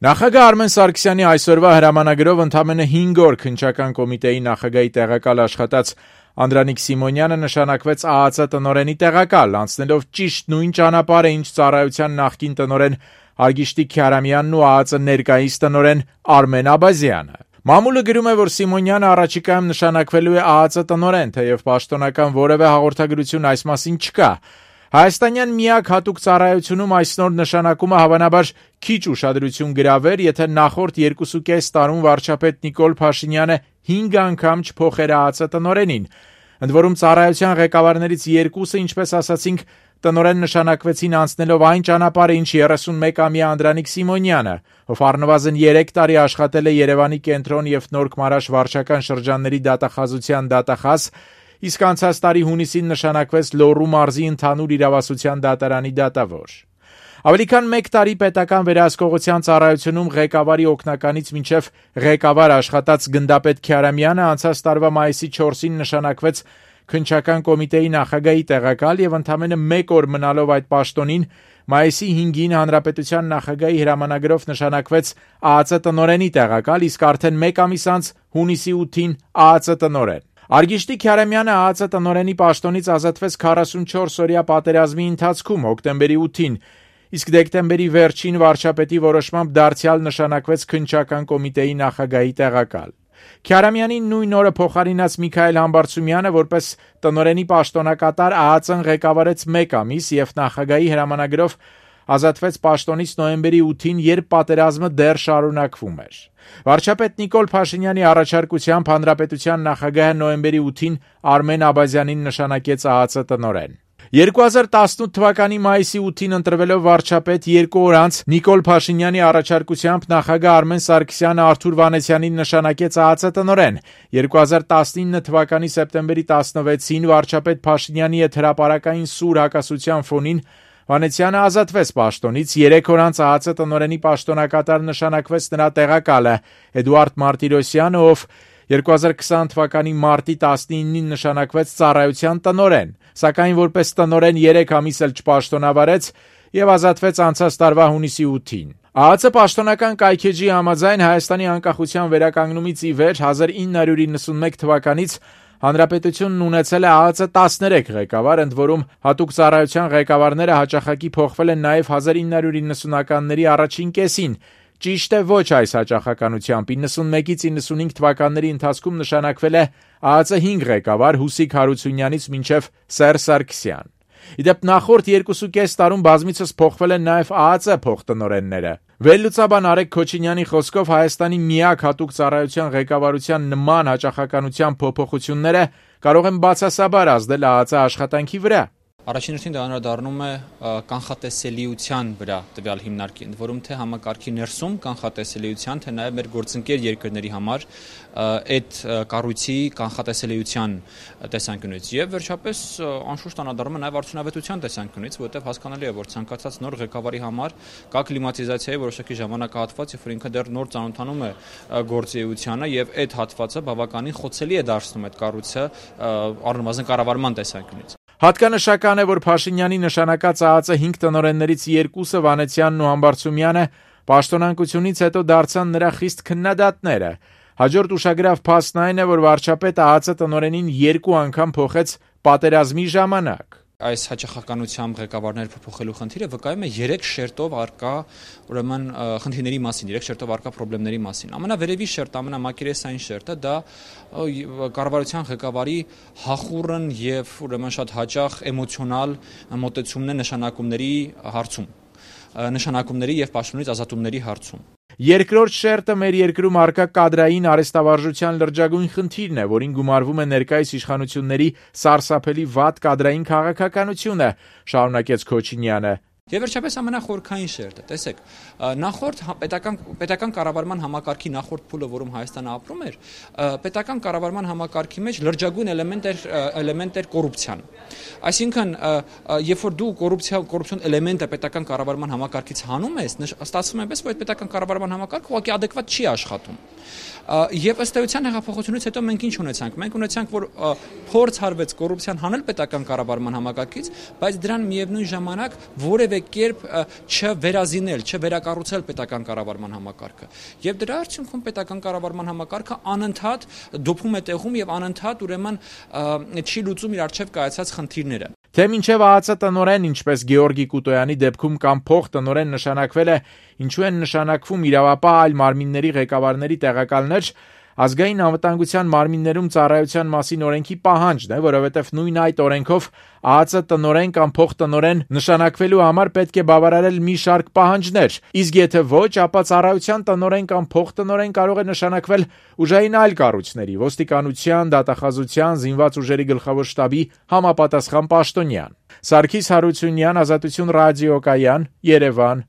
Նախագահ Արմեն Սարգսյանի այսօրվա հրամանագրով ընդամենը 5 օր քննչական կոմիտեի նախագահի տեղակալ աշխատած Անդրանիկ Սիմոնյանը նշանակվեց ԱԱԾ տնօրենի տեղակալ, անցնելով ճիշտ նույն ճանապարհը, ինչ ծառայության նախկին տնօրեն Արգիշտի Քյարամյանն ու ԱԱԾ ներկայիս տնօրեն Արմեն Աբազյանը։ Մամուլը գրում է, որ Սիմոնյանը առաջիկայում նշանակվելու է ԱԱԾ տնօրեն, թեև պաշտոնական որևէ հաղորդագրություն այս մասին չկա։ Հայաստանյան միակ հատուկ ծառայությունում այս նոր նշանակումը հավանաբար քիչ ուշադրություն գրավեր, եթե նախորդ 2.5 տարում վարչապետ Նիկոլ Փաշինյանը 5 անգամ չփոխեր ԱԱԾ տնօրենին։ Ընդ որում ծառայության ղեկավարներից երկուսը, ինչպես ասացինք, տնօրեն նշանակվեցին անցնելով այն ճանապարհը, ինչ 31-ամյա Անդրանիկ Սիմոնյանը, ով առնվազն 3 տարի աշխատել է Երևանի կենտրոն եւ Նորք Մարաշ վարչական շրջանների դատախազության դատախազ, իսկ անցած տարի հունիսին նշանակվեց Լոռու մարզի ընդհանուր իրավասության դատարանի դատավոր։ Ավելի քան 1 տարի պետական վերահսկողության ծառայությունում ղեկավարի օգնականից մինչև ղեկավար աշխատած գնդապետ Քյարամյանը անցած տարվա մայիսի 4-ին նշանակվեց քննչական կոմիտեի նախագահի տեղակալ եւ ընդամենը 1 օր մնալով այդ պաշտոնին մայիսի 5-ին հանրապետության նախագահի հրամանագրով նշանակվեց ԱԱԾ տնօրենի տեղակալ, իսկ արդեն 1 ամիս անց հունիսի 8-ին ԱԱԾ տնօրեն։ Արգիշտի Քյարամյանը ԱԱԾ տնօրենի պաշտոնից ազատվեց 44-օրյա պատերազմի ընթացքում հոկտեմբերի 8-ին, իսկ դեկտեմբերի վերջին վարչապետի որոշմամբ դարձյալ նշանակվեց քննչական կոմիտեի նախագահի տեղակալ։ Քյարամյանին նույն օրը փոխարինած Միքայել Համբարձումյանը որպես տնօրենի պաշտոնակատար ԱԱԾ-ն ղեկավարեց 1 ամիս եւ նախագահի հրամանագրով ազատվեց պաշտոնից նոյեմբերի 8-ին, երբ պատերազմը դեռ շարունակվում էր։ Վարչապետ Նիկոլ Փաշինյանի առաջարկությամբ հանրապետության նախագահը նոյեմբերի 8-ին Արմեն Աբազյանին նշանակեց ԱԱԾ տնօրեն։ 2018 թվականի մայիսի 8-ին ընտրվելով վարչապետ 2 օր անց Նիկոլ Փաշինյանի առաջարկությամբ նախագահ Արմեն Սարգսյանը Արթուր Վանեսյանին նշանակեց ԱԱԾ տնօրեն։ 2019 թվականի սեպտեմբերի 16-ին վարչապետ Փաշինյանի հետ հրապարակային սուր հակասության ֆոնին Վանեսյանը ազատվեց պաշտոնից, 3 օր անց ԱԱԾ տնօրենի պաշտոնակատար նշանակվեց նրա տեղակալը Էդուարդ Մարտիրոսյանը, ով 2020 թվականի մարտի 19-ին նշանակվեց ծառայության տնօրեն, սակայն որպես տնօրեն 3 ամիս էլ չպաշտոնավարեց եւ ազատվեց անցած տարվա հունիսի 8-ին։ ԱԱԾ պաշտոնական կայքեջի համաձայն Հայաստանի անկախության վերականգնումից ի վեր 1991 թվականից Հանրապետությունն ունեցել է ԱԱԾ 13 ղեկավար, ընդ որում հատուկ ծառայության ղեկավարները հաճախակի փոխվել են նաև 1990-ականների առաջին կեսին։ Ճիշտ է, ոչ այս հաճախականությամբ 91-ից 95 թվականների ընթացքում նշանակվել է ԱԱԾ 5 ղեկավար Հուսիկ Հարությունյանից մինչև Սերժ Սարգսյան։ Իդեպ նախորդ 2.5 տարում բազմիցս փոխվել են նաև ԱԱԾ փոխտնօրենները։ Վերլուծաբան Արեգ Քոչինյանի խոսքով Հայաստանի միակ հատուկ ծառայության ղեկավարության նման հաճախականության փոփոխությունները կարող են բացասաբար ազդել ԱԱԾ աշխատանքի վրա։ Առաջին դա անդրադառնում է կանխատեսելիության վրա տվյալ հիմնարկի, ընդ որում թե համակարգի ներսում կանխատեսելիության, թե նաև մեր գործընկեր երկրների համար այդ կառույցի կանխատեսելիության տեսանկյունից եւ վերջապես անշուշտ անդրադառնում է նաև արդյունավետության տեսանկյունից, որովհետեւ հասկանալի է, որ ցանկացած նոր ղեկավարի համար կա կլիմատիզացիայի որոշակի ժամանակահատված, երբ որ ինքը դեռ նոր ծանոթանում է գործունեությանը եւ այդ հատվածը բավականին խոցելի է դարձնում այդ կառույցը առնվազն կառավարման տեսանկյունից։ Հատկանշական է, որ Փաշինյանի նշանակած ԱԱԾ 5 տնօրեններից 2-ը Վանեսյանն ու Համբարձումյանը պաշտոնանկությունից հետո դարձան նրա խիստ քննադատները։ Հաջորդ ուշագրավ փաստն այն է, որ վարչապետը ԱԱԾ տնօրենին 2 անգամ փոխեց պատերազմի ժամանակ։ Այս հաճախականությամբ ղեկավարներ փոփոխելու խնդիրը վկայում է 3 շերտով արկա ուրեմն խնդիրների մասին, 3 շերտով արկա խնդիրների մասին։ Ամենավերևի շերտը, ամենամակերեսային շերտը դա կառավարության ղեկավարի հախուռն եւ ուրեմն շատ հաճախ էմոցիոնալ մոտեցումն է նշանակումների եւ պաշտոնից ազատումների հարցում։ Երկրորդ շերտը մեր երկրում արկա կադրային արհեստավարժության լրջագույն խնդիրն է, որին գումարվում է ներկայիս իշխանությունների սարսափելի վատ կադրային քաղաքականությունը, շարունակեց Քոչինյանը։ Եվ վերջապես ամենախորքային շերտը, տեսեք, նախորդ պետական կառավարման համակարգի նախորդ փուլը, որում Հայաստանը ապրում էր, պետական կառավարման համակարգի մեջ լրջագույն էլեմենտ էր կոռուպցիան։ Այսինքն, երբ որ դու կոռուպցիոն էլեմենտը պետական կառավարման համակարգից հանում ես, ստացվում է այնպես, որ այդ պետական կառավարման համակարգը ուղղակի adekvat չի աշխատում։ Եվ ըստ էության հեղափոխությունից հետո մենք ինչ ունեցանք։ Մենք ունեցանք, որ փորձ արվեց կոռուպցիան հանել պետական կառավարման համակարգից, բայց դրան միևնույն ժամանակ որևէ որևէ կերպ չվերազինել, չվերակառուցել պետական կառավարման համակարգը։ Եվ դրա արդյունքում պետական կառավարման համակարգը անընդհատ դոփում է տեղում եւ անընդհատ ուրեմն չի լուծում իր առջև կայացած խնդիրները։ Թե մինչև ԱԱԾ տնօրեն, ինչպես Գեորգի Կուտոյանի դեպքում կամ փոխտնօրեն նշանակվել է, ինչու են նշանակվում իրավապահ այլ մարմինների ղեկավարների տեղակալներ, ազգային անվտանգության մարմիններում ծառայության մասին օրենքի պահանջն է, որովհետև նույն այդ օրենքով ԱԱԾ տնօրեն կամ փոխտնօրեն նշանակվելու համար պետք է բավարարել մի շարք պահանջներ, իսկ եթե ոչ, ապա ծառայության տնօրեն կամ փոխտնօրեն կարող է նշանակվել ուժային այլ կառույցների, ոստիկանության, դատախազության, զինված ուժերի գլխավոր շտաբի համապատասխան պաշտոնյան։ Սարգիս Հարությունյան, Ազատություն ռադիոկայան, Երևան,